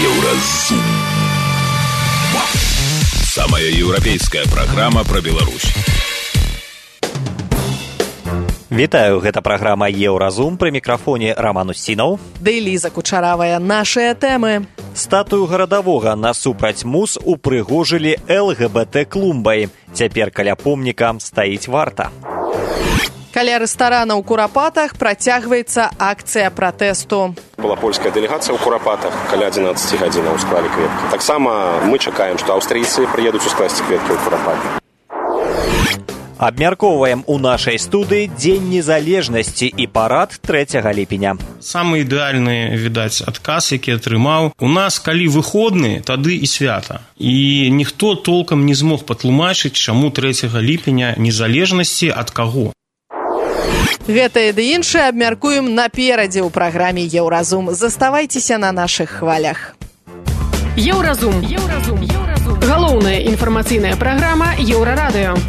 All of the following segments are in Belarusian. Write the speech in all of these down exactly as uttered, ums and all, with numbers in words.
Еўразум. Самая еўрапейская праграма пра Беларусь. Вітаю, гэта праграма Еўразум, пры мікрафоне Роман Устінаў. Ды Ліза Кучаравая, нашыя тэмы. Статую гарадавога насупраць муз упрыгожылі эл гэ бэ тэ клумбай. Цяпер каля помніка стаіць варта. Каля рэстарана ў Курапатах працягваецца акцыя пратэсту. Была польская дэлегацыя ў Курапатах, каля адзінаццаці гадзінаў склалі кветкі. Таксама мы чакаем, што аўстрыйцы прыедуць ускласці кветкі ў Курапаты. Абмяркоўваем у нашай студыі Дзень незалежнасці і парад трэцяга ліпеня. Самы ідэальны, відаць, адказ, які атрымаў. У нас, калі выходны, тады і свята. І ніхто толкам не змог патлумачыць, чаму трэцяга ліпеня незалежнасці ад каго. Гэта і ды іншае абмяркуем наперадзе ў праграме Еўразум. Заставайцеся на нашых хвалях. Еўразум. Еўразум. Еўразум. Галоўная інфармацыйная праграма Еўрарадыё.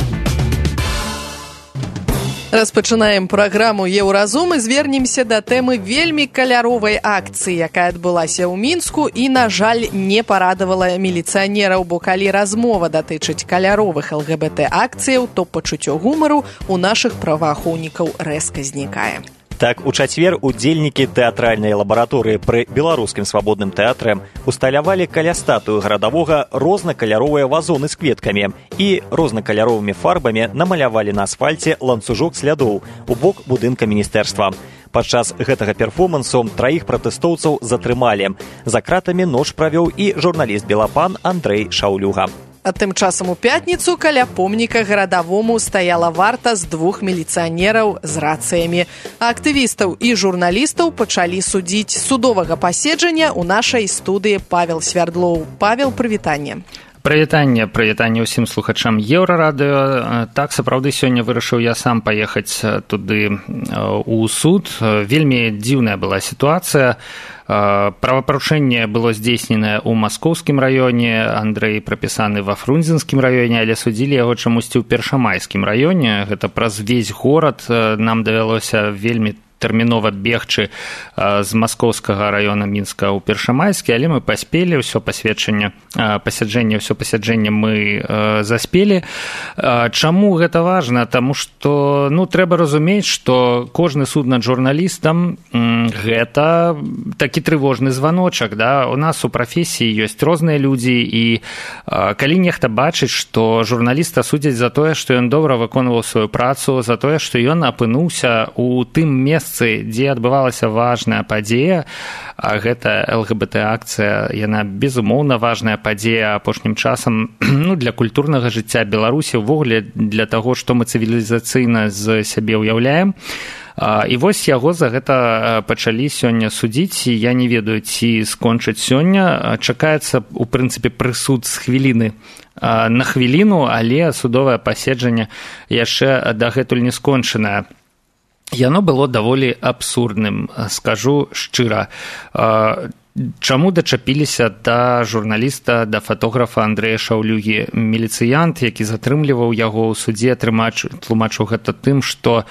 Распачынаем праграму Еўразум і звернемся да тэмы вельмі каляровай акцыі, якая адбылася ў Мінску і, на жаль, не парадавала міліцыянераў, бо калі размова датычыць каляровых эл гэ бэ тэ акцыяў, то пачуццё гумару ў нашых праваахоўнікаў рэзка знікае. Так, у чацвер удзельнікі тэатральнай лабараторыі пры Беларускім свабодным тэатры усталявалі каля статуі гарадавога рознакаляровыя вазоны з кветкамі і рознакаляровымі фарбамі намалявалі на асфальце ланцужок слядоў у бок будынка міністэрства. Падчас гэтага перформансу траіх пратэстоўцаў затрымалі. За кратамі ноч правёў і журналіст Белапан Андрэй Шаўлюга. А тым часам у пятніцу каля помніка гарадавому стаяла варта з двух міліцыянераў з рацыямі. А актывістаў і журналістаў пачалі судзіць. Судовага паседжання ў нашай студыі Павел Свярдлоў. Павел, прывітанне. Прывітанне, прывітанне ўсім слухачам Еўрарадыё. Так, сапраўды, сёння вырашыў я сам паехаць туды ў суд. Вельмі дзіўная была сітуацыя. Правапарушэнне было здзейсненае ў маскоўскім раёне, Андрэй прапісаны ва фрунзенскім раёне, але судзілі яго чамусьці ў першамайскім раёне. Гэта праз увесь горад нам давялося вельмі тэрмінова бегчы з маскоўскага раёна Мінска ў першамайскі, але мы паспелі, ўсё пасведчанне, пасяджэнне, ўсё пасяджэнне мы заспелі. Чаму гэта важна? Таму што, ну, трэба разумець, што кожны суд над журналістам гэта такі трывожны званочак, да? У нас у прафесіі ёсць розныя людзі, і калі нехта бачыць, што журналіста судзяць за тое, што ён добра выконваў сваю працу, за тое, што ён апынуўся ў тым месцы, дзе адбывалася важная падзея, а гэта эл гэ бэ тэ акцыя, яна безумоўна важная падзея апошнім часам, ну, для культурнага жыцця Беларусі, увогуле для таго, што мы цывілізацыйна з сябе ўяўляем. І вось яго за гэта пачалі сёння судзіць. Я не ведаю, ці скончыць сёння. Чакаецца, у прынцыпе, прысуд з хвіліны на хвіліну, але судовае паседжанне яшчэ дагэтуль не скончанае. Яно было даволі абсурдным, скажу шчыра. Чаму дачапіліся да журналіста, да фатографа Андрэя Шаўлюгі? Міліцыянт, які затрымліваў яго ў судзе, тлумачыў гэта тым, што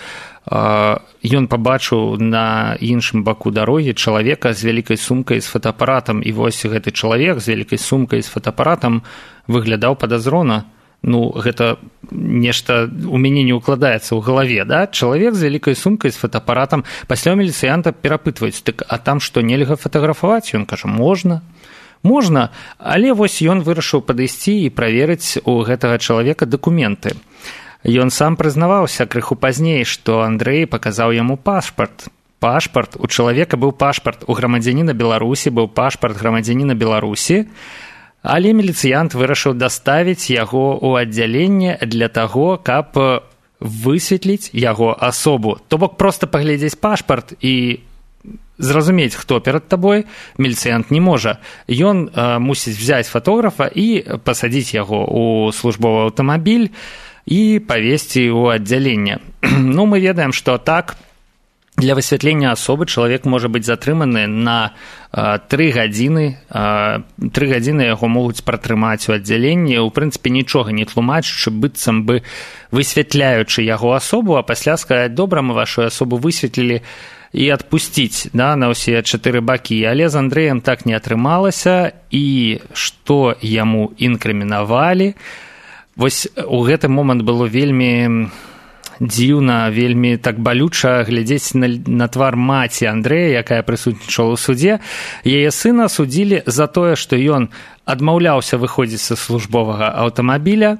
ён пабачыў на іншым баку дарогі чалавека з вялікай сумкай з фотоапаратам, і вось гэты чалавек з вялікай сумкай з фотоапаратам выглядаў падазрона. Ну, гэта нешта у мяне не ўкладаецца ў галаве, да? Чалавек з вялікай сумкай, з фотоапаратам. Пасля ў міліцыянта перапытваюць, так, а там што, нельга фатаграфаваць? Ён кажа, можна. Можна, але вось ён вырашыў падысці і праверыць у гэтага чалавека дакументы. Ён сам прызнаваўся крыху пазней, што Андрэй паказаў яму пашпарт. Пашпарт, у чалавека быў пашпарт, у грамадзяніна Беларусі быў пашпарт грамадзяніна Беларусі, але міліцыянт вырашыў даставіць яго ў аддзяленне для таго, каб высветліць яго асобу. То бок проста паглядзець пашпарт і зразумець, хто перад табой, міліцыянт не можа. Ён э, мусіць взяць фатографа і пасадзіць яго ў службовы аўтамабіль і павесці ў аддзяленне. Ну, мы ведаем, што так, для высвятлення асобы чалавек можа быць затрыманы на тры гадзіны. Тры гадзіны яго могуць пратрымаць у аддзяленні, у прынцыпе нічога не тлумачачы, быццам бы высвятляючы яго асобу, а пасля сказаць, добра, мы вашу асобу высветлілі, і адпусціць, да, на ўсе чатыры бакі. Але з Андрэем так не атрымалася, і што яму інкрымінавалі. Вось у гэты момант было вельмі дзіўна, вельмі так балюча глядзець на, на твар маці Андрэя, якая прысутнічала ў суде. Яе сына судзілі за тое, што ён адмаўляўся выходзіць са службовага аўтамабіля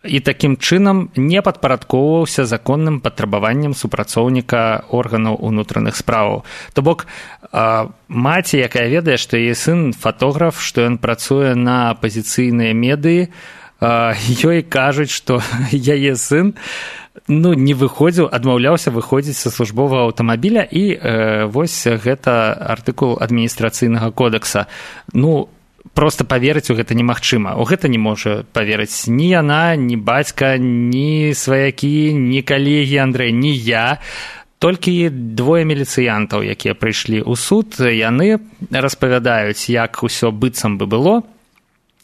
і такім чынам не падпарадкоўваўся законным патрабаванням супрацоўніка органаў унутраных справаў. То бок, маці, якая ведае, што яе сын фатограф, што ён працуе на апазіцыйныя медыі, ёй кажуць, што яе сын ну, не выходзіў, адмаўляўся выходзіць са службовага аўтамабіля, і э, вось гэта артыкул адміністрацыйнага кодекса. Ну, проста паверыць у гэта немагчыма. У гэта не можа паверыць ні яна, ні бацька, ні сваякі, ні калегі Андрэй, ні я. Толькі двое міліцыянтаў, якія прыйшлі ў суд, яны распавядаюць, як усё быццам бы было,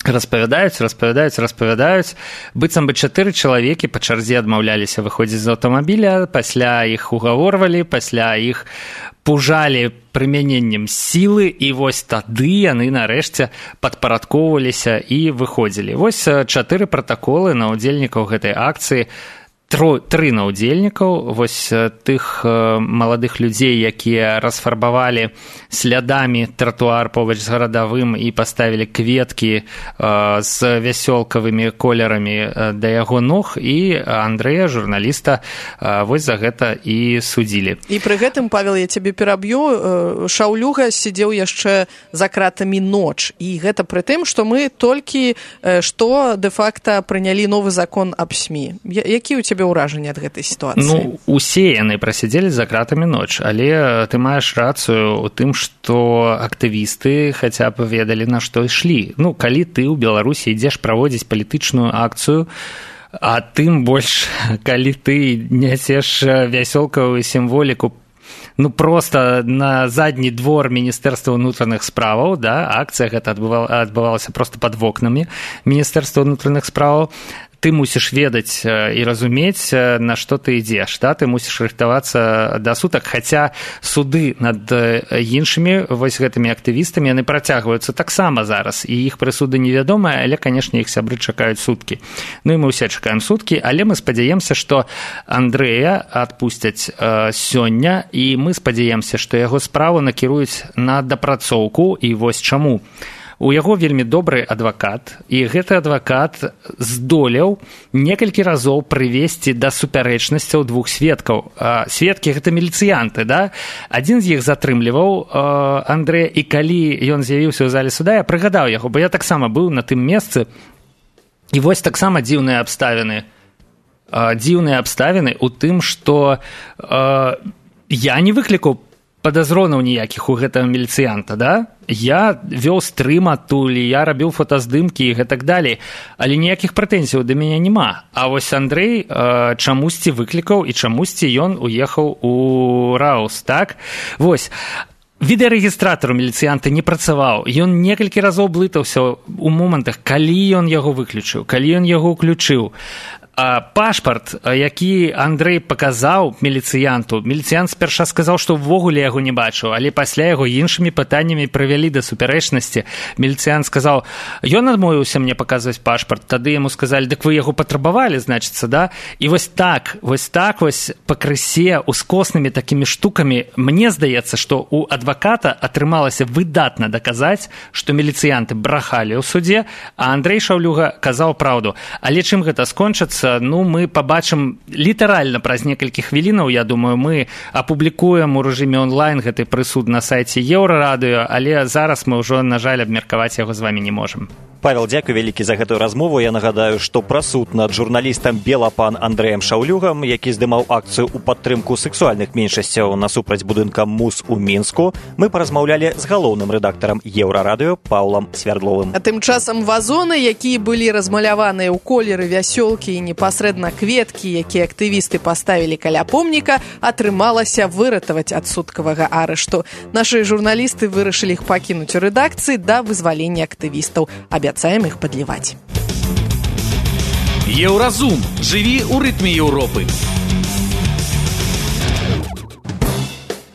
распавядаюць, распавядаюць, распавядаюць. Быццам бы чатыры чалавекі па чарзе адмаўляліся выходзіць з аўтамабіля, пасля іх угаворвалі, пасля іх пужалі прымяненнем сілы, і вось тады яны нарэшце падпарадкоўваліся і выходзілі. Вось чатыры пратаколы на ўдзельнікаў гэтай акцыі, тры на ўдзельнікаў, вось тых маладых людзей, якія расфарбавалі слядамі тратуар побач з гарадавым і паставілі кветкі з вясёлкавымі колерамі да яго ног, і Андрэя, журналіста, вось за гэта і судзілі. І пры гэтым, Павел, я цябе пераб'ю, Шаўлюга сидзеў яшчэ за кратамі ноч, і гэта пры тым, што мы толькі што дэ-факта прынялі новы закон аб СМІ. Які ў цябе ўражанне ад гэтай сітуацыі? Ну, усе яны прасядзелі за кратамі ноч, але ты маеш рацыю ў тым, што актывісты хаця б ведалі, на што ішлі. Ну, калі ты ў Беларусі ідзеш праводзіць палітычную акцыю, а тым больш, калі ты нясеш вясёлкавую сімволіку, ну, просто на задні двор Міністэрства ўнутраных справаў, да, акцыя гэта адбывалася просто пад вокнамі Міністэрства ўнутраных справаў, ты мусіш ведаць і разумець, на што ты ідзеш, да? Ты мусіш рыхтавацца да сутак, хаця суды над іншымі вось гэтымі актывістамі, яны працягваюцца таксама зараз, і іх прысуды невядомыя, але, канешне, іх сябры чакаюць суткі. Ну і мы ўсе чакаем суткі, але мы спадзяемся, што Андрэя адпусцяць э, сёння, і мы спадзяемся, што яго справу накіруюць на дапрацоўку, і вось чаму. У яго вельмі добры адвакат, і гэты адвакат здолеў некалькі разоў прывесці да супярэчнасцяў двух сведкаў. Сведкі — гэта міліцыянты, да? Адзін з іх затрымліваў Андрэя, і калі ён з'явіўся ў зале суда, я прыгадаў яго, бо я таксама быў на тым месцы, і вось таксама дзіўныя абставіны. Дзіўныя абставіны ў тым, што я не выклікаў падазронаў ніякіх у гэтага міліцыянта, да? Я вёў стрым адтуль, я рабіў фотаздымкі і гэтак далей, але ніякіх прэтэнзіяў да мяне няма. А вось Андрэй э, чамусьці выклікаў, і чамусьці ён уехаў у Раус, так? Вось. Відэарэгістратар у міліцыянта не працаваў, ён некалькі разоў блытаўся у момантах, калі ён яго выключыў, калі ён яго ўключыў. А пашпарт, які Андрэй паказаў міліцыянту, міліцыянт спярша сказаў, што ўвогуле яго не бачыў, але пасля яго іншымі пытаннямі прывялі да супярэчнасці. Міліцыянт сказаў, ён адмовіўся мне паказваць пашпарт, тады яму сказалі, дык вы яго патрабавалі, значыцца, да? І вось так, вось так вось пакрысе ускоснымі такімі штукамі, мне здаецца, што у адваката атрымалася выдатна даказаць, што міліцыянты брахалі ў суде, а Андрэй Шаўлюга казаў праўду. Але чым гэта скончыцца, ну, мы пабачым літаральна праз некалькі хвілінаў, я думаю, мы апублікуем у рэжыме онлайн гэты прысуд на сайце Еўрарадыё, але зараз мы ўжо, на жаль, абмеркаваць яго з вамі не можам. Павел, дзякуй вялікі за гэтую размову. Я нагадаю, што пра суд над журналістам Белапан Андрэем Шаўлюгам, які здымаў акцыю ў падтрымку сексуальных меншасцяў насупраць будынка МУС у Мінску, мы паразмаўлялі з галоўным рэдактарам Еўрарадыё Паўлам Свярдловым. А тым часам вазоны, якія былі размаляваныя ў колеры вясёлкі і непасрэдна кветкі, якія актывісты паставілі каля помніка, атрымалася выратаваць ад суткавага арышту. Нашы журналісты вырашылі іх пакінуць у рэдакцыі да вызвалення актывістаў. Абяцаем іх падліваць. Еўразум. Жыві ў рытме Еўропы.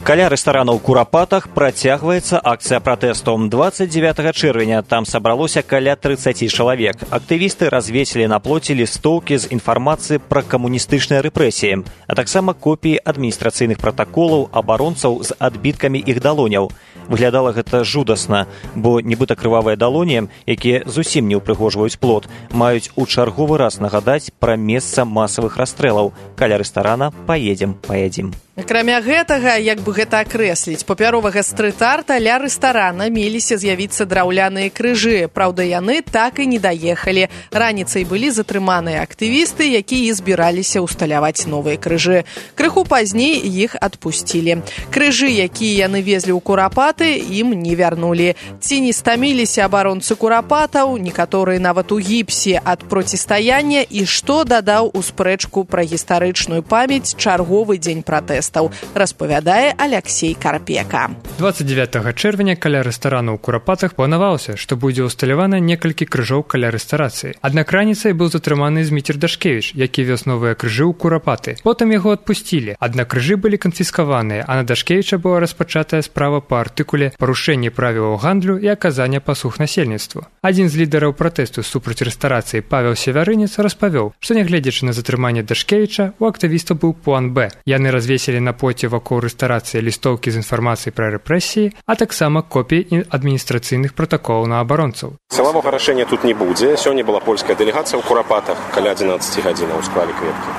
Каля рэстарана ў Курапатах працягваецца акцыя пратэсту. дваццаць дзевятага чэрвеня там сабралося каля трыццаць чалавек. Актывісты развесілі на плоце лістоўкі з інфармацыяй пра камуністычныя рэпрэсіі, а таксама копіі адміністрацыйных пратаколаў абаронцаў з адбіткамі іх далоняў. Выглядала гэта жудасна, бо нібыта крывавыя далоні, якія зусім не ўпрыгожваюць плот, маюць у чарговы раз нагадаць пра месца масавых расстрэлаў. Каля рэстарана паедзем, паядзім. Акрамя гэтага, як бы гэта акрэсліць, папяровага стрыт-арта ля рэстарана меліся з'явіцца драўляныя крыжы. Праўда, яны так і не даехалі. Раніцай былі затрыманыя актывісты, якія збіраліся ўсталяваць новыя крыжы. Крыху пазней іх адпусцілі. Крыжы, якія яны везлі ў Курапаты, ім не вярнулі. Ці не стаміліся абаронцы Курапатаў, некаторыя нават у гіпсе ад процістаяння, і што дадаў у спрэчку пра гістарычную памяць чарговы дзень пратэсту, распавядае Алексей Карпека. дваццаць дзевятага чэрвеня каля рэстарана ў Курапатах планавалася, што будзе ўсталявана некалькі крыжоў каля рэстарацыі. Аднак раніцай быў затрыманы Зміцер Дашкевіч, які вёз новыя крыжы ў Курапаты. Потым яго адпусцілі, аднак крыжы былі канфіскаваныя, а на Дашкевіча была распачатая справа па артыкуле «Парушэнне правілаў гандлю і аказання паслуг насельніцтву». Адзін з лідараў пратэсту супраць рэстарацыі Павел Севярынец распавёў, што нягледзячы на затрыманне Дашкевіча, у актывістаў быў план Б. Яны развесілі на плоце вакол рэстарацыі лістоўкі з інфармацыяй пра рэпрэсіі, а таксама копіі адміністрацыйных пратаколаў на абаронцаў. Сілавога рашэння тут не будзе. Сёння была польская дэлегацыя ў Курапатах каля адзінаццаці гадзінаў склалі кветкі.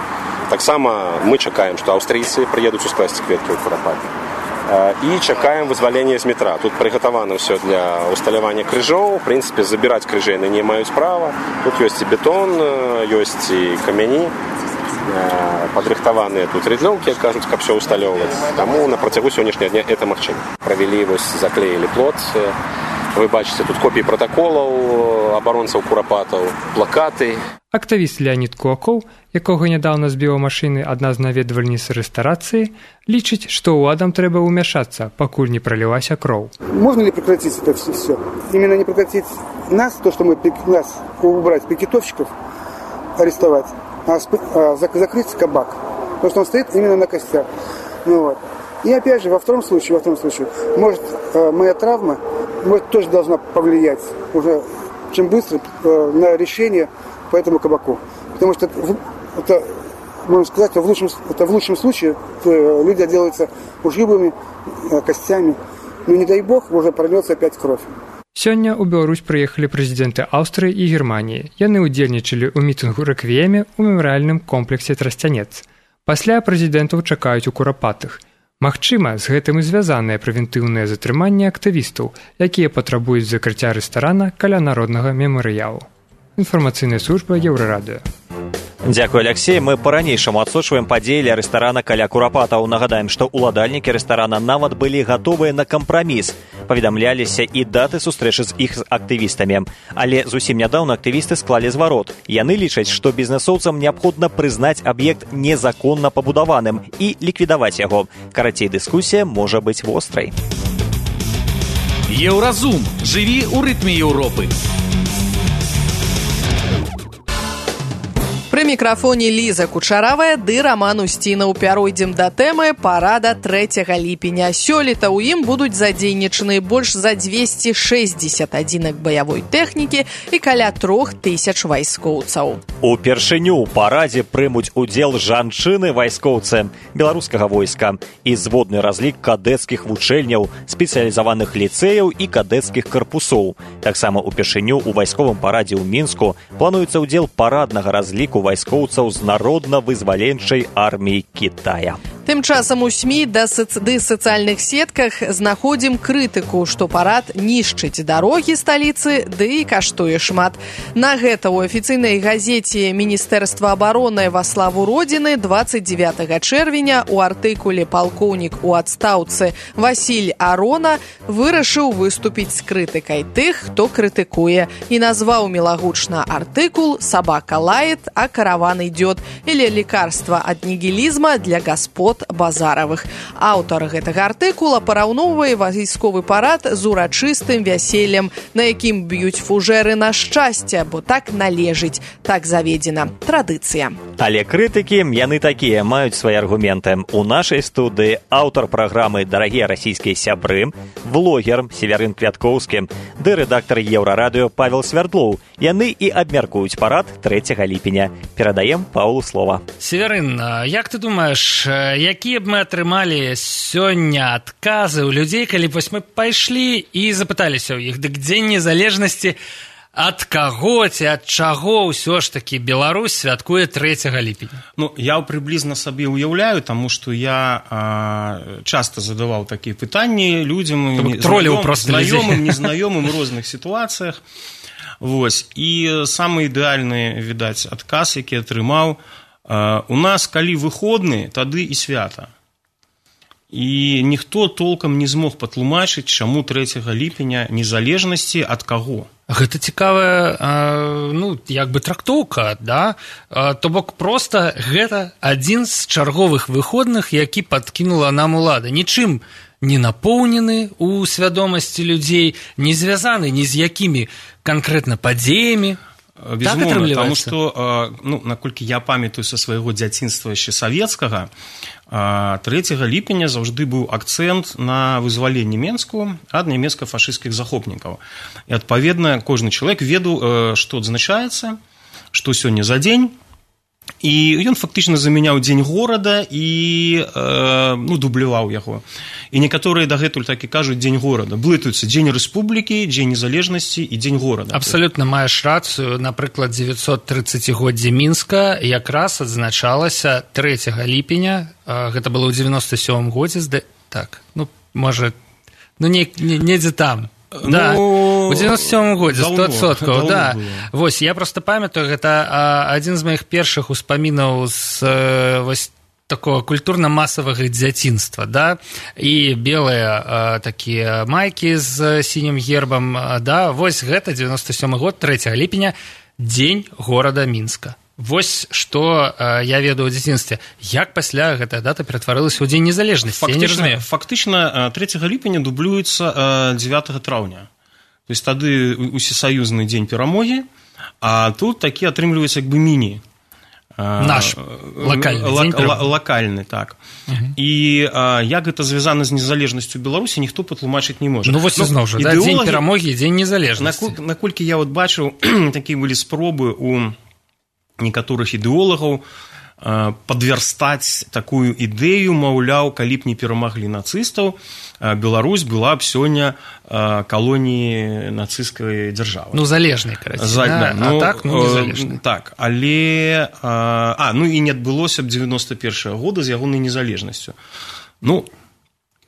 Таксама мы чакаем, што аўстрыйцы прыедуць ускласці кветкі ў Курапаты. І чакаем вызвалення з метра. Тут прыгатавана ўсё для ўсталявання крыжоў. В прынцыпе, забіраць крыжы яны не маюць права. Тут ёсць і бетон, ёсць і камяні. Падрыхтаваныя тут рыдлёўкі, як кажуць, каб все усталёўваць. Таму на працягу сённяшняга дня это магчыма. Правялі, вось, заклеілі плот. Вы бачыце тут копіі пратаколаў абаронцаў Курапатаў, плакаты. Актывіст Леонид Кулаков, якога нядаўна збіла машыны адна з наведвальніц рэстарацыі, лічыць, што ўладам трэба ўмяшацца, пакуль не пролілася кроў. Можно ли прекратить это все? Именно не прекратить нас, то, что мы нас убрать, пикетовщиков, арестовать, а закрыть кабак. Потому что он стоит именно на костях. Ну, вот. И опять же, во втором случае, во втором случае, может, моя травма, может, тоже должна повлиять уже чем быстро на решение по этому кабаку. Потому что это, это можно сказать, в лучшем, это в лучшем случае люди отделаются ушибами, костями. Но не дай бог, уже прольется опять кровь. Сёння ў Беларусь прыехалі прэзідэнты Аўстрыі і Германіі. Яны ўдзельнічалі ў мітынгу рэквіеме ў мемарыяльным комплексе Трасцянец. Пасля прэзідэнтаў чакаюць у Курапатах. Магчыма, з гэтым і звязаныя прэвентыўныя затрыманні актывістаў, якія патрабуюць закрыцця рэстарана каля народнага мемарыялу. Інфармацыйная служба Еўрарадыё. Дзякуй, Алексей. Мы па-ранейшаму адсочваем падзеі ля рэстарана каля Курапатаў. Нагадаем, што ўладальнікі рэстарана нават былі гатовыя на кампраміс. Паведамляліся і даты сустрэчы з іх актывістамі. Але зусім нядаўна актывісты склалі зварот. Яны лічаць, што бізнэсоўцам неабходна прызнаць аб'ект незаконна пабудаваным і ліквідаваць яго. Карацей, дыскусія можа быць вострай. Еўразум. Жыві ў рытме Еўропы. Пры мікрафоне Ліза Кучаравая ды Раман Усцінаў. Пяройдзем да тэмы парада трэцяга ліпеня. Сёлета ў ім будуць задзейнічаны больш за дзвесце шэсцьдзесят адзінак баявой тэхнікі і каля трох тысяч вайскоўцаў. Упершыню ў парадзе прымуць удзел жанчыны-вайскоўцы беларускага войска і зводны разлік кадэцкіх вучэльняў, спецыялізаваных ліцэяў і кадэцкіх карпусоў. Таксама упершыню ў вайсковым парадзе ў Мінску плануецца ўдзел параднага разліку вайскоўцаў з народна-вызваленчай арміі Кітая. Тым часам у СМІ ды сацыяльных сетках знаходзім крытыку, што парад нішчыць дарогі сталіцы, ды і каштуе шмат. На гэта ў афіцыйнай газеце Міністэрства абароны «Во славу Родины» дваццаць дзевятага чэрвеня у артыкуле палкоўнік у адстаўцы Васіль Арона вырашыў выступіць з крытыкай тых, хто крытыкуе, і назваў мілагучна артыкул «Собака лает, а караван идет» или «Лекарство от нигилизма для господ от Базаравых. Аўтар гэтага артыкула параўноўвае вайсковы парад з урачыстым вяселлем, на якім б'юць фужэры на шчасце, бо так належыць, так заведзена. Традыцыя. Але крытыкі, яны такія, маюць свае аргументы. У нашай студыі аўтар праграмы «Дарагія расійскія сябры», влогер Северын Квяткоўскі, ды рэдактар Еўрарадыё Павел Свярдлоў. Яны і абмяркуюць парад трэцяга ліпеня. Перадаем Паўлу слова. Северын, як ты думаеш, якія б мы атрымалі сёння адказы ў людзей, калі вось мы пайшлі і запыталіся ў іх, дык дзень незалежнасці ад каго ці ад чаго ўсё ж такі Беларусь святкуе трэцяга ліпеня? Ну, я прыблізна сабе ўяўляю, таму што я а, часта задаваў такія пытанні людзям, тролліў проста знаёмым, незнаёмым у розных сітуацыях. Вось. І самы ідэальны, відаць, адказ, які атрымаў, а, у нас калі выходны, тады і свята. І ніхто толкам не змог патлумачыць, чаму трэцяга ліпеня незалежнасці ад каго. Гэта цікавая, ну, як бы трактоўка, да? То бок проста гэта адзін з чарговых выходных, які падкінула нам улада. Нічым не напоўнены ў свядомасці людзей, не звязаны ні з якімі канкрэтна падзеямі. Безумоўна, так, таму што, ну, наколькі я памятаю са свайго дзяцінства яшчэ савецкага, трэцяга ліпеня заўжды быў акцэнт на вызваленне Менску ад нямецка-фашысцкіх захопнікаў. І, адпаведна, кожны чалавек ведаў, што адзначаецца, што сёння за дзень, і ён фактычна замяняў дзень горада і э, ну, дубляваў яго. І некаторыя дагэтуль так і кажуць дзень горада. Блытаюцца дзень рэспублікі, дзень незалежнасці і дзень горада. Абсалютна маеш рацыю. Напрыклад, дзевяцьсот трыццацігоддзе Мінска якраз адзначалася трэцяга ліпеня. Гэта было ў девяносто сёмым годзе. Так, ну, можа, ну, не, не, недзе там. Да, ну, у девяносто сёмым годзе, сто адсоткаў, да. Вось, я проста памятаю, гэта а, адзін з маіх першых успамінаў з а, вось такого культурна-масавага дзяцінства, да, і белыя а, такія майкі з сінім гербам, а, да, вось гэта девяносто сёмы год, трэцяга ліпеня, дзень горада Мінска. Вось што э, я ведаю ў дзяцінстве. Як пасля гэтая дата ператварылася ў дзень незалежнасці? Я не разумею. Фактычна трэцяга ліпеня дублюецца дзевятага траўня. То есть тады усесаюзны дзень перамогі, а тут такі атрымліваецца як бы міні. Наш лакальны дзень перамогі. Лакальны, так. Uh-huh. І а, як гэта звязана з незалежнасцю Беларусі, ніхто патлумачыць не можа. Ну вось ізноў жа, да, дзень перамогі і дзень незалежнасці. Наколькі я вот бачыў, такія былі спробы у некаторых ідэолагаў падвярстаць такую ідэю, маўляў, калі б не перамаглі нацыстаў, Беларусь была б сёння калоніяй нацысцкай дзяржавы. Ну, залежнай, карацей. За, да? Ну, а так, ну, незалежнай. Так, але... А, ну, і не адбылося б дзевяносто першага года з ягонай незалежнасцю. Ну,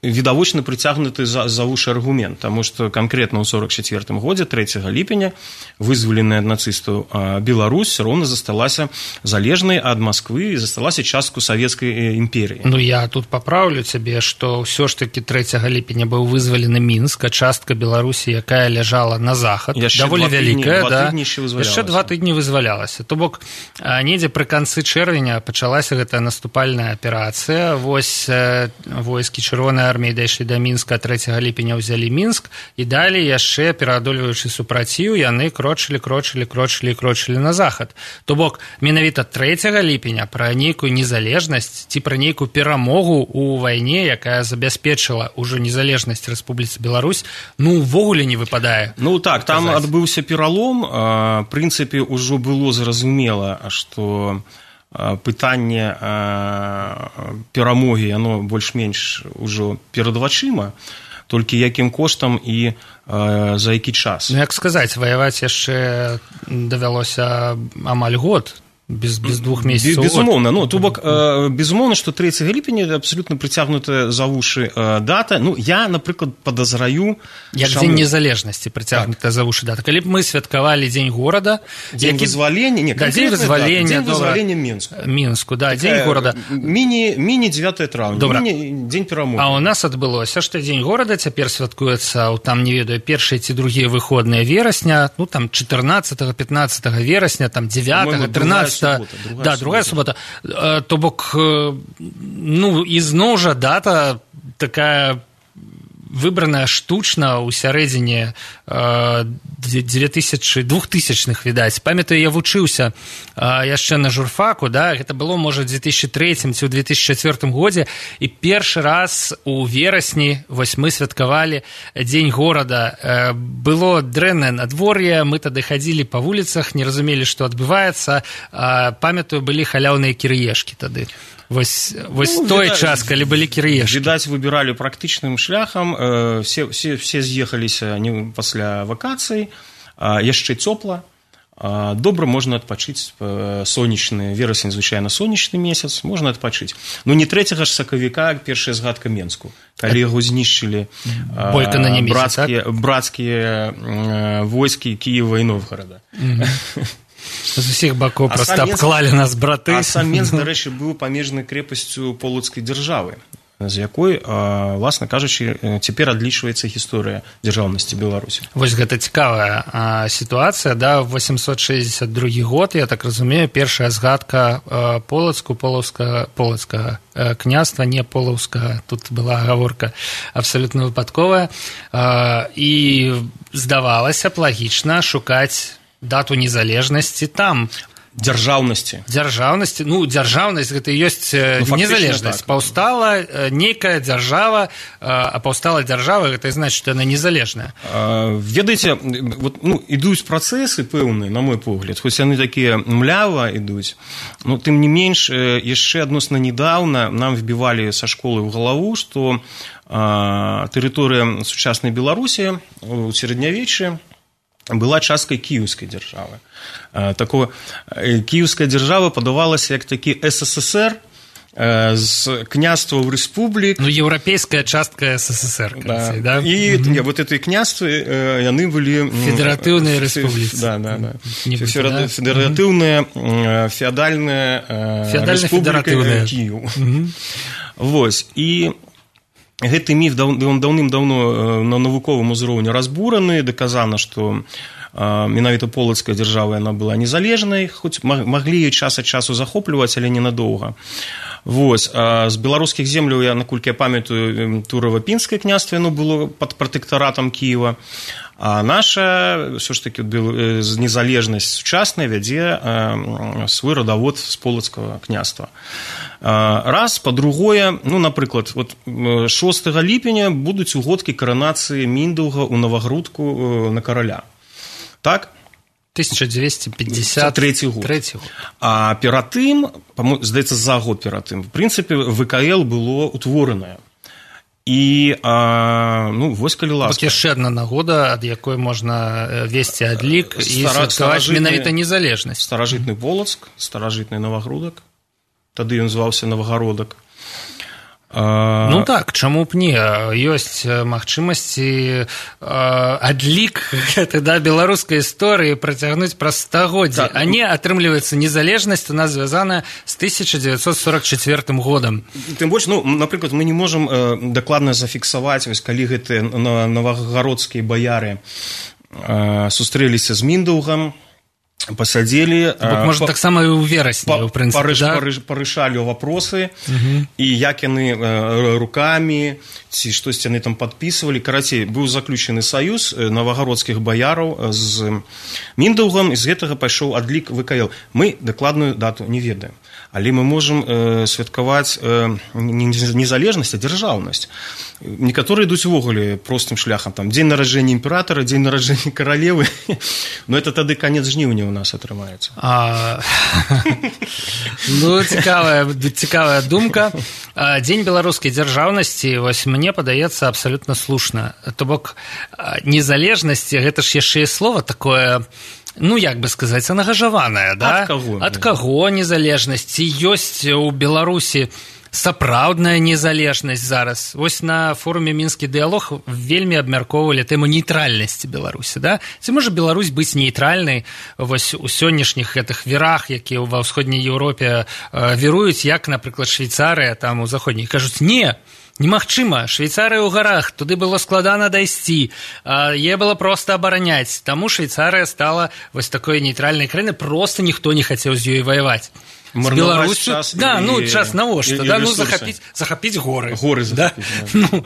відавочна прыцягнуты за, за вушы аргумент, таму што канкрэтна ў сорок чацвёртым годзе, трэцяга ліпеня, вызваленая ад нацыстаў Беларусь роўна засталася залежнай ад Масквы і засталася частку савецкай імперіі. Ну, я тут папраўлю цябе, што ўсё ж такі трэцяга ліпеня быў вызвалены Мінск, частка Беларусі, якая ляжала на захад, яшчэ даволі вялікая, да, яшчэ два тыдні вызвалялася. То бок, недзе пры канцы чэрвеня пачалася гэтая наступальная аперацыя, вось войскі чырвонай арміі дайшлі да Мінска, трэцяга ліпеня ўзялі Мінск, і далей яшчэ, пераадольваючы супраціў, яны крочылі, крочылі, крочылі, крочылі на захад. То бок, менавіта трэцяга ліпеня пра нейкую незалежнасць ці пра нейкую перамогу ў вайне, якая забяспечыла ўжо незалежнасць Рэспубліцы Беларусь, ну, увогуле не выпадае. Ну, так, там казаць. Адбыўся пералом, в прынцыпе, ўжо было зразумела, што пытанне перамогі, яно больш-менш ужо перад вачыма, толькі якім коштам і за які час. Ну, як сказаць, ваяваць яшчэ давялося амаль год, без, без двух месяцаў. Безумоўна, ну, то бок, э, безумоўна, што трэцяга ліпеня абсалютна прыцягнутая за вушы э, дата. Ну, я, напрыклад, падазраю... Як шаму... дзень незалежнасці прыцягнутая так. за вушы дата. Калі б мы святкавалі дзень горада... Дзень які... вызвалення... Не, да, дзень вызвалення... Дзень вызвалення Мінску. Мінску, да, дзень горада. Міні, міні дзевятае траўня, добра. Міні дзень перамогі. А ў нас адбылося, што дзень горада цяпер святкуецца, там, не ведаю, першыя ці другія выходныя верасня, ну, там, чатырнаццатага, пятнаццатага верасня, там, дзевятага, трынаццатага просто субота, другая да, другая субота. То бок, ну, ізноў жа дата такая выбраная штучна ў сярэдзіне двухтысячных, відаць. Памятаю, я вучыўся яшчэ на журфаку, да, гэта было, можа, ў две тысячы трэцім ці ў две тысячы чацвёртым годзе, і першы раз у верасні вось мы святкавалі дзень горада. Было дрэннае надвор'е, мы тады хадзілі па вуліцах, не разумелі, што адбываецца. Памятаю, былі халяўныя кірыешкі тады. Вось, вось ну, той видать, час, калі былі кірыешкі. Відаць, выбіралі практычным шляхам, э, все, все, все з'ехаліся не пасля вакацый, э, яшчэ цёпла, э, добра можна адпачыць, э, сонечны, верасень, звычайна, сонечны месяц, можна адпачыць. Ну, не трэцяга ж сакавіка, першая згадка Менску, калі яго знішчылі э, брацкія, так? брацкія э, войскі Кіева і Новгорада. Mm-hmm. З усіх бакоў проста абклалі нас браты. А сам Менск, дарэчы, быў памежнай крэпасцю полацкай дзяржавы, з якой, власна кажучы, цяпер адлічваецца гісторыя дзяржаўнасці Беларусі. Вось гэта цікавая а, сітуацыя, да, восемьсот шестьдесят другі год, я так разумею, першая згадка а, полацку, полаўскага, полацкага а, княства, не полаўскага, тут была гаворка абсалютна выпадковая, а, і здавалася б лагічна шукаць дату незалежнасці там. Дзяржаўнасці. Дзяржаўнасці. Ну, дзяржаўнасць гэта і ёсць ну, незалежнасць. Так. Паўстала нейкая дзяржава, а паўстала дзяржава, гэта і значыць, што яна незалежная. А, ведаеце, вот, ну, ідуць працэсы пэўныя, на мой погляд, хоць яны такія млява ідуць, но тым не менш, яшчэ адносна недаўна нам вбівалі са школы ў галаву, што а, тэрыторыя сучаснай Беларусі у сярэднявеччы была часткай кіеўскай дзяржавы. Такое, кіеўская дзяржава падавалася як такі СССР з княстваў рэспублік. Ну, еўрапейская частка СССР. Да. Да? І mm-hmm. вот этой княствы, яны былі... Федератыўныя рэспубліцы. Да, да, да. Федера... Федератыўная, mm-hmm. феадальная рэспубліка Кіеў. Mm-hmm. Вось, і... Гэты міф даўным-даўно на навуковым узроўні разбураны, даказана, што менавіта полацкая дзяржава яна была незалежнай, хоць маглі яе час ад часу захопліваць, але ненадоўга. Вось, з беларускіх земляў, я, наколькі я памятаю, Турава-Пінскае княства, яно было пад пратэктаратам Кіева, а наша, ўсё ж такі, незалежнасць сучасная вядзе свой радавод з полацкага княства. Раз, па-другое, ну, напрыклад, вот шостага ліпеня будуць угодкі каранацыі Міндаўга ў Навагрудку на караля. Так? тысяча дзвесце пятьдесят трэці год. А перад тым, здаецца, за год перад тым, в прынцыпе, ВКЛ было утворанае. І, а, ну, вось калі ласка. Так яшчэ адна нагода, ад якой можна весці адлік і святкаваць менавіта незалежнасць. Старажытны Полацк, старажытны Навагрудак. Тады ён зваўся Навагародак. А... Ну так, чаму б не? Ёсць магчымасці адлік да, беларускай історыі працягнуць праз стагоддзі, так, а не, атрымліваецца, незалежнасць у нас звязаная з тысяча дзевяцьсот сорок чацвёртым годам. Тым больш, ну, напрыклад, мы не можам э, дакладна зафіксаваць, вось, калі гэтыя навагародскія баяры э, сустрэліся з Міндаўгам, пасадзелі, можа, па, таксама і ў верасні, па, ў прынцыпе, парыш, да? парыш, парышалі вопросы, uh-huh. і як яны э, рукамі, ці штосьці яны там падпісвалі. Карацей, быў заключаны саюз навагародскіх баяраў з Міндаўгам, і з гэтага пайшоў адлік ВКЛ. Мы дакладную дату не ведаем, але мы можам э, святкаваць э, не незалежнасць, а дзяржаўнасць. Некаторыя ідуць увогуле простым шляхам, там, дзень нараджэння імператара, дзень нараджэння каралевы, но это тады канец жніўня у нас атрымаецца. А... Ну, цікавая, цікавая думка. Дзень беларускай дзяржаўнасці, вось мне падаецца абсалютна слушна. То бок, незалежнасці, гэта ж яшчэ і слова такое... Ну, як бы сказаць, ангажаваная, да? Ад каго? Ад каго незалежнасць? Ці ёсць у Беларусі сапраўдная незалежнасць зараз? Вось на форуме «Мінскі дыялог» вельмі абмяркоўвалі тэму нейтральнасці Беларусі, да? Ці можа Беларусь быць нейтральнай вось у сённяшніх гэтых вірах, якія ва ўсходняй Еўропе віруюць, як, напрыклад, Швейцарыя, там у заходняй, кажуць, не, немагчыма. Швейцарыя ў гарах, туды было складана дайсці, е было проста абараняць. Таму Швейцарыя стала вось такой нейтральнай краінай, проста ніхто не хацеў з ёй ваяваць. З Беларусю, да, і, ну, час навошта, да, ну, захапіць, захапіць горы. Горы захапіць, да? Да. Ну,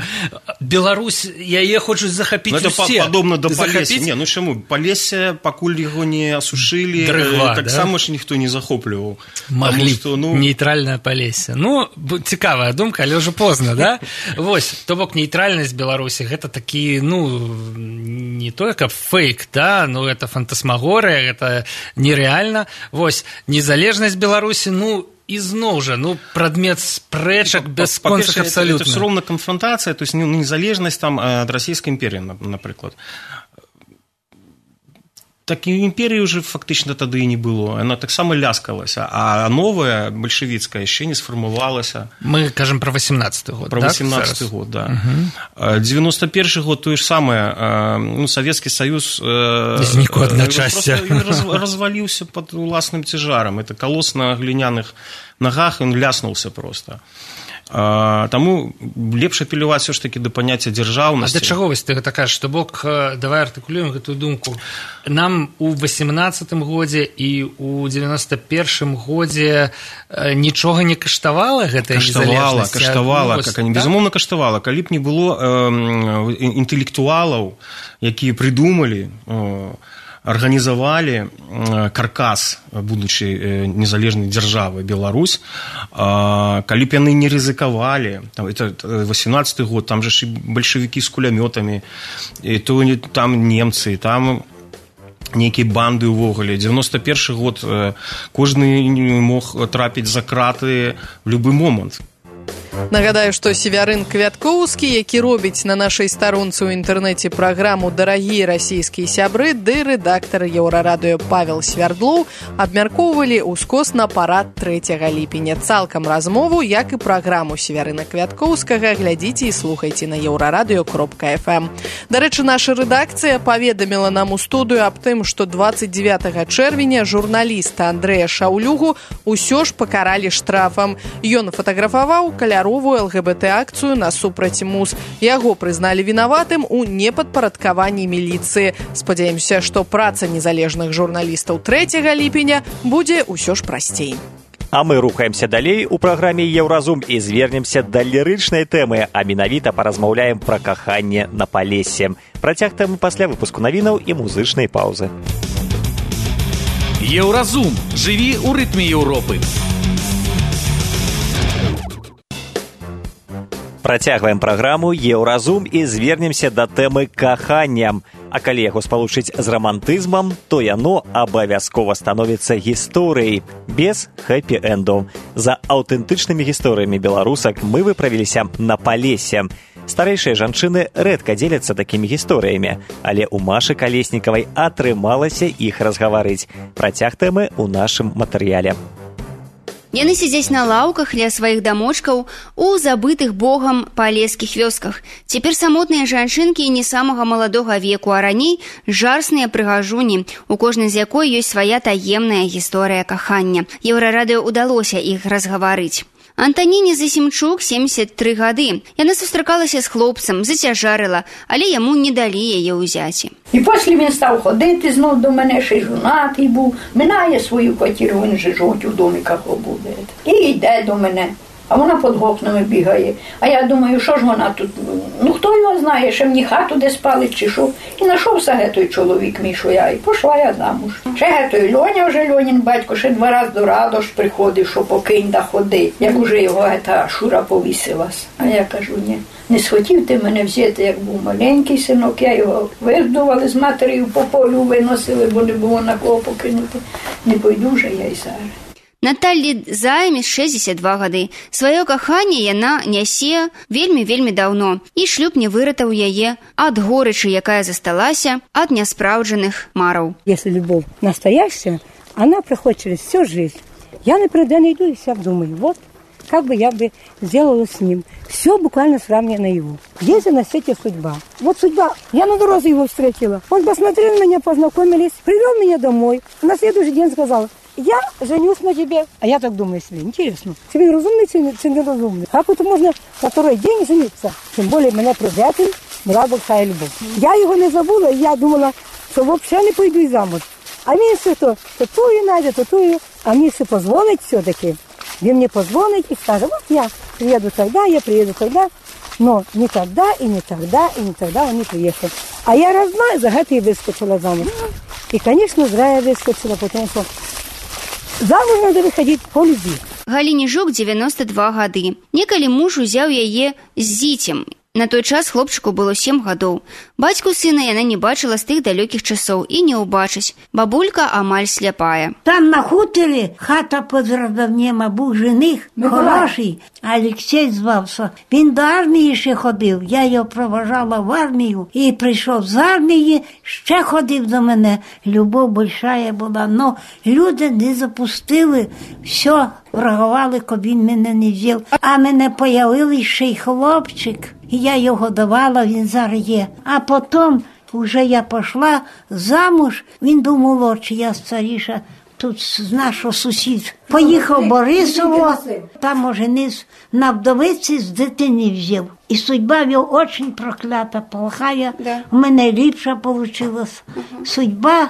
Беларусь, яе хочуць захапіць ну, усе. Это падобна да Палесся. Не, ну чаму? Палесся, пакуль яго не асушылі, Дрыгва, таксама да? ж ніхто не захопліваў. Маглі, што, ну... нейтральнае Палесся. Ну, цікавая думка, але ўжо позна, да? Вось, то бок нейтральнасць Беларусі, гэта такі, ну, не то, каб фейк, да, ну, это фантасмагорыя, гэта нереальна. Вось, незалежнасць Беларусі, ну, ізноў жа, ну, прадмет спрэчак бясконцых абсалютна. Это, это все роўна канфронтацыя, то есть ну, незалежнасць там ад расійскай імперіі, напрыклад. Так і імперіі ўжо фактычна тады і не было. Яна таксама ляскалася, а новая, бальшавіцкая, яшчэ не сфармавалася. Мы кажам пра восемнадцаты год, Пра восемнадцаты год, да. Угу. девяносто першы год, тое ж самае, ну, Савецкі Саюз знік у адначасье. Разваліўся пад уласным цяжарам. Это калос на гліняных нагах, ён ляснуўся проста. А, таму лепш апеляваць все ж таки да паняцця дзяржаўнасці. А да чаго вось ты гэта кажаш? То бок, давай артыкулюем гэтую думку. Нам у восемнадцатым годзе і у девяносто першым годзе нічога не каштавала гэтая незалежнасць? Каштавала, каштавала, ну, как они, да? Безумоўна каштавала. Калі б не было э, інтэлектуалаў, якія прыдумалі, э, арганізавалі каркас будучай незалежнай дзяржавы Беларусь, калі б яны не рызыкавалі, это восемнадцаты год, там же ж і бальшавікі з кулямётамі, і то там немцы, там нейкія банды ўвогуле. девяносто першы год кожны мог трапіць за краты в любы момант. Нагадаю, што Севярын Квяткоўскі, які робіць на нашай старонцы ў інтэрнэце праграму «Дарагія расійскія сябры», ды рэдактар Еўрарадыё Павел Свярдлоў абмяркоўвалі ўскосна парад трэцяга ліпеня. Цалкам размову, як і праграму Севярына Квяткоўскага, глядзіце і слухайце на еўрарадыё кропка эф эм. Дарэчы, наша рэдакцыя паведаміла нам у студыю аб тым, што двадцать девятага чэрвеня журналіста Андрэя Шаўлюгу ўсё ж пакаралі штрафам. Ён фатаграфаваў каляровую эл гэ бэ тэ-акцыю насупраць МУЗ. Яго прызналі вінаватым у непадпарадкаванні міліцыі. Спадзяемся, што праца незалежных журналістаў трэцяга ліпеня будзе ўсё ж прасцей. А мы рухаемся далей у праграме «Еўразум» і звернемся да лірычнай тэмы, а менавіта паразмаўляем пра каханне на Палессі. Працяг тэмы пасля выпуску навінаў і музычнай паўзы. Еўразум. Жыві ў рытме Еўропы. Працягваем праграму «Еўразум» і звернемся да тэмы кахання. А калі яго спалучыць з рамантызмам, то яно абавязкова становіцца гісторыяй, без хэпі-эндаў. За аўтэнтычнымі гісторыямі беларусак мы выправіліся на Палессе. Старэйшыя жанчыны рэдка дзеляцца такімі гісторыямі, але ў Машы Калеснікавай атрымалася іх разгаварыць. Працяг тэмы ў нашым матэрыяле. Яны сядзяць на лаўках ля сваіх дамочкаў у забытых богам палескіх вёсках. Цяпер самотныя жанчынкі не самага маладога веку, а раней жарсныя прыгажуні, у кожнай з якой ёсць свая таемная гісторыя кахання. Еўрарадыё ўдалося іх разгаварыць. Антаніне Засімчук семьдесят тры гады. Яна сустракалася з хлопцам, зацяжарыла, але яму не далі яе ўзяці. І після він став ходити знов до мене, ще й жонатий був. Минає свою квартиру, він же жить у домі, як буде. І йде до мене. А вона під окнами бігає. А я думаю, що ж вона тут? Ну, хто його знає, ще мені хату де спалить чи що. І знайшовся гетой чоловік мій, що я, і пішла я замуж. Ще гетой Льоня вже, Льонін батько, ще два рази до Радош приходив, що покинь да ходи. Як уже його гета Шура повісилась. А я кажу, ні. Не схотів ти мене взяти, як був маленький синок, я його вигдували з матерію по полю, виносили, бо не було на кого покинути. Не пойду вже я й зараз. Наталлі Займі шэсцьдзесят два гады. Сваё каханне яна нясе вельмі-вельмі даўно, і шлюб не выратаў яе ад горычы, якая засталася ад няспраўджаных мараў. Если любовь настоящая, она проходит через всю жизнь. Я, например, иду и себя думаю, вот, как бы я бы сделала с ним. Все буквально сравнено наяву. Есть на свете судьба. Вот судьба. Я на дороге его встретила. Он посмотрел на меня, познакомились, привел меня домой. На следующий день сказал, я женюсь на тебе. А я так думаю себе, интересно, чи він розумний, чи, чи не розумний? Как это можно на второй день жениться? Тим більше мене приятель, була большая любов. Я його не забула, і я думала, що взагалі не пойду й замуж. А він все то, то тую найде, то тую. А мені все позвонить все-таки. Він мені позвонить і скаже, вот я приеду тогда, я приеду тогда. Но не тогда, и не тогда, и не тогда он не приехал. А я раз-два за это и выскочила замуж. И, конечно, зря я выскочила, потому что замуж надо выходить по любви. Галіне Жук девяносто два гады. Некалі муж узяў яе з зіцем. На той час хлопчыку было сем гадоў. Бацьку сына яна не бачыла з тых далёкіх часоў і не ўбачыць. Бабулька амаль сляпая. Там на хуторі хата під Радовнем, а був жених хороший, Алексей звався. Він до армії ще ходив, я його проважала в армію і прийшов з армії, ще ходив до мене. Любов большая була, но люди не запустили, все, врагували, коли він мене не взяв. А мене появився ще й хлопчик. І я його давала, він зараз є. А потім вже я пішла замуж, він був молодший, я старіша, тут з нашого сусід. Поїхав в Борисово, там оженився на вдовиці, з дитини взяв. І судьба його дуже проклята, плохая, у мене ліпша вийшла. Судьба,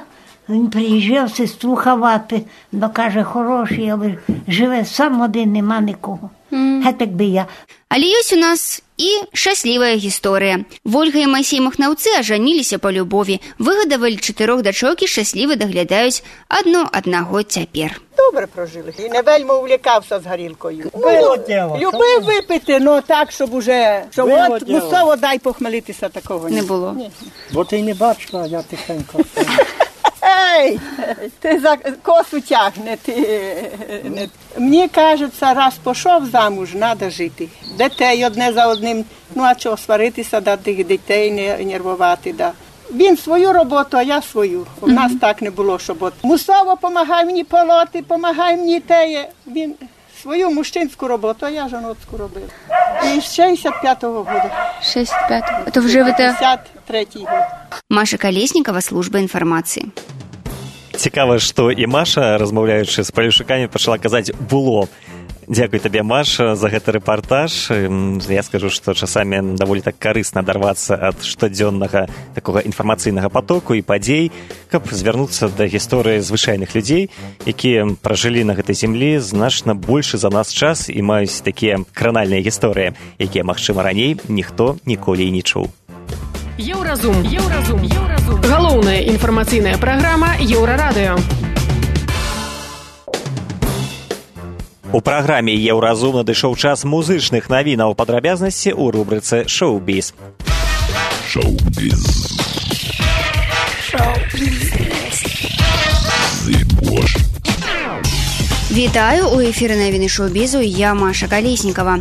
він приїжджав, сестру ховати, бо каже, хороший, але живе сам один, нема нікого. Гэтак бы я. Але ёсць у нас і шчаслівая гісторыя. Вольга і Майсей Махнаўцы ажаніліся па любові, выгадавалі чатырох дачок і шчасліва даглядаюць адно аднаго цяпер. Добре прожили. І не вельми увлікався з горілкою. Ну, любив випити, але так, щоб уже, щоб от мусово дай похмелитися, такого не було. Ні. Бо ти не бачила, я тихенько. Ей, ти за косу тягне. Ти, не. Мені кажеться, раз пішов замуж, треба жити. Дітей одне за одним, ну а чого, сваритися, да, тих дітей не нервувати, да. Він свою роботу, а я свою. У нас mm-hmm. так не було, щоб от мусово помагай мені полоти, помагай мені теє. Він свою мужчинську роботу, а я жіночку робив. І з шістдесят п'ятого року. шістдесят п'ятого? Это вже ви... п'ятдесят третій год. Маша Колеснікова, служба інформації. Цікаво, што і Маша, размаўляючы з палюшыкамі, пачала казаць «було». Дзякуй табе, Маша, за гэты рэпартаж. Я скажу, што часамі даволі так карысна адарвацца ад штодзённага такога інфармацыйнага потоку і падзей, каб звярнуцца да гісторыі звычайных людзей, якія пражылі на гэтай зямлі значна большы за нас час і маюць такія кранальныя гісторыі, якія, магчыма, раней ніхто ніколі і не чуў. Еўразум. Еўразум. Еўразум. Галоўная інфармацыйная праграма Еўрарадыё. У праграме «Еўразум» надышоў час музычных навінаў, падрабязнасці ў рубрыцы «Шоу-біз». Шоу-біз. Шоу-біз. Вітаю, у эфіры навіны шоу-бізу, я Маша Колеснікова.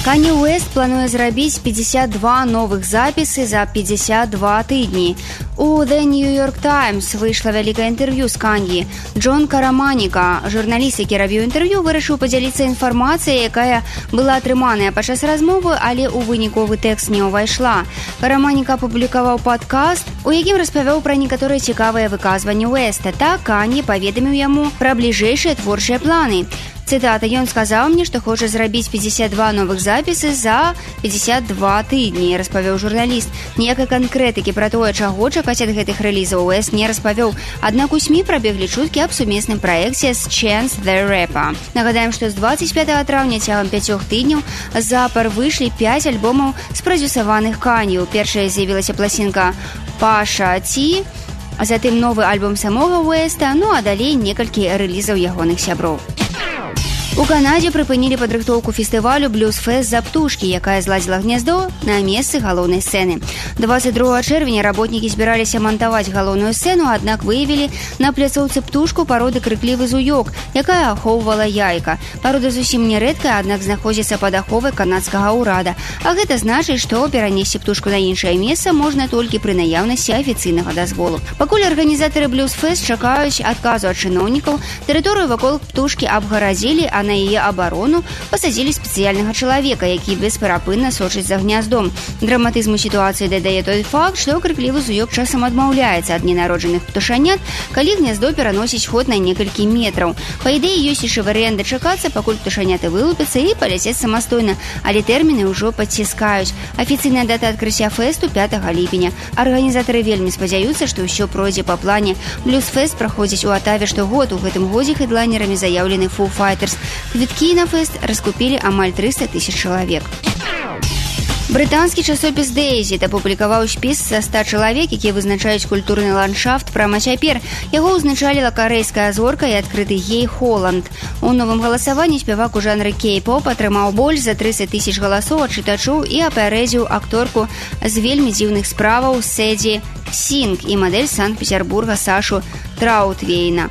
Канье Уэст плануе зрабіць пятьдесят два новых запісы за пятьдесят два тыдні. У The New York Times выйшла вялікае інтэрв'ю з Канье. Джон Караманіка, журналіст, які рабіў інтэрв'ю, вырашыў падзяліцца інфармацыяй, якая была атрыманая падчас размовы, але ў выніковы тэкст не ўвайшла. Караманіка апублікаваў падкаст, у якім распавёў пра некаторыя цікавыя выказванні Уэста. Так Канье паведаміў яму пра бліжэйшыя творчыя планы. Цитата, ён сказаў мне, што хоча зрабіць пятьдесят два новых запісы за пятьдесят два тыдні, распавёў журналіст. Ніякай канкрэтыкі пра тое, чаго чакаць ад гэтых рэлізаў, Уэст не распавёў. Аднак у СМІ прабеглі чуткі аб сумесным праекце з Chance the Rapper. Нагадаем, што з двадцать пятого траўня цягам пяцёх тыдняў запар выйшлі пяць альбомаў спрадзюсаваных Канье. Першая з'явілася пласінка «Паша Ті», а затым новы альбом самога Уэста, ну а далей некалькі рэлізаў ягоных сяброў. У Канадзе прыпынілі падрыхтоўку фестывалю «Блюз-фест за птушкі», якая зладзіла гняздо на месцы галоўнай сцэны. двадцать другого чэрвеня работнікі збіраліся мантаваць галоўную сцэну, аднак выявілі на пляцоўцы птушку пароды крыклівы зуёк, якая ахоўвала яйка. Парода зусім не рэдкая, аднак знаходзіцца пад аховай канадскага ўрада. А гэта значыць, што перанесці птушку на іншае месца можна толькі пры наяўнасці афіцыйнага дазволу. Пакуль арганізатары «Блюз-фест» чакаюць адказу ад чыноўнікаў, тэрыторыю вакол птушкі абгарадзілі, а на яе абарону пасадзілі спецыяльнага чалавека, які бесперапынна сочыць за гняздом. Драматызму сітуацыі дадае той факт, што крыклівы зуёк часам адмаўляецца ад ненароджаных птушанят, калі гняздо пераносіць ход на некалькі метраў. Па ідэі, ёсць яшчэ варыянт дачакацца, пакуль птушаняты вылупяцца і паляцець самастойна, але тэрміны ўжо падціскаюць. Афіцыйная дата адкрыцця фэсту пятага ліпеня. Арганізатары вельмі спадзяюцца, што ўсё пройдзе па плане. Блюз-фэст праходзіць у Атаве штогод. У гэтым годзе хэдлайнерамі заяўлены Foo Fighters. Квіткі на фэст раскупілі амаль трыста тысяч чалавек. Брытанскі часопіс «Дэйзі» апублікаваў спіс са ста чалавек, якія вызначаюць культурны ландшафт прама цяпер. Яго ўзначаліла карэйская зорка і адкрыты гей Холланд. У новым галасаванні спявак у жанры кей-поп атрымаў больш за трыццаць тысяч галасоў ад чытачоў і апярэдзіў акторку з вельмі дзіўных справаў Сэдзі Сінг і мадэль Санкт-Петербурга Сашу Траутвейна.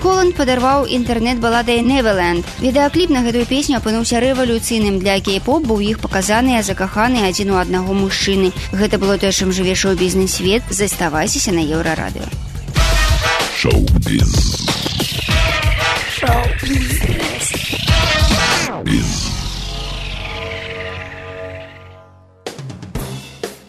Холланд падарваў інтэрнэт-баладай «Neverland». Відэакліп на гэтую песню апынуўся рэвалюцыйным для кей-поп, бо ў іх паказаныя закаханыя адзін у аднаго мужчыны. Гэта было тое, чым жыве шоу-бізнес-свет. Заставайцеся на Еўрарадыё. Шоу-біз. Шоу-бізнес.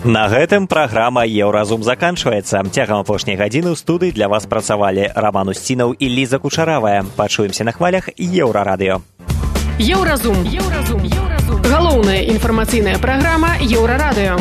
На гэтым праграма «Еўразум» заканчваецца. Цягам апошняй гадзіны ў студыі для вас працавалі Раман Усцінаў і Ліза Кучаравая. Пачуемся на хвалях Еўрарадыё. Еўразум. Еўразум. Еўразум. Галоўная інфармацыйная праграма Еўрарадыё.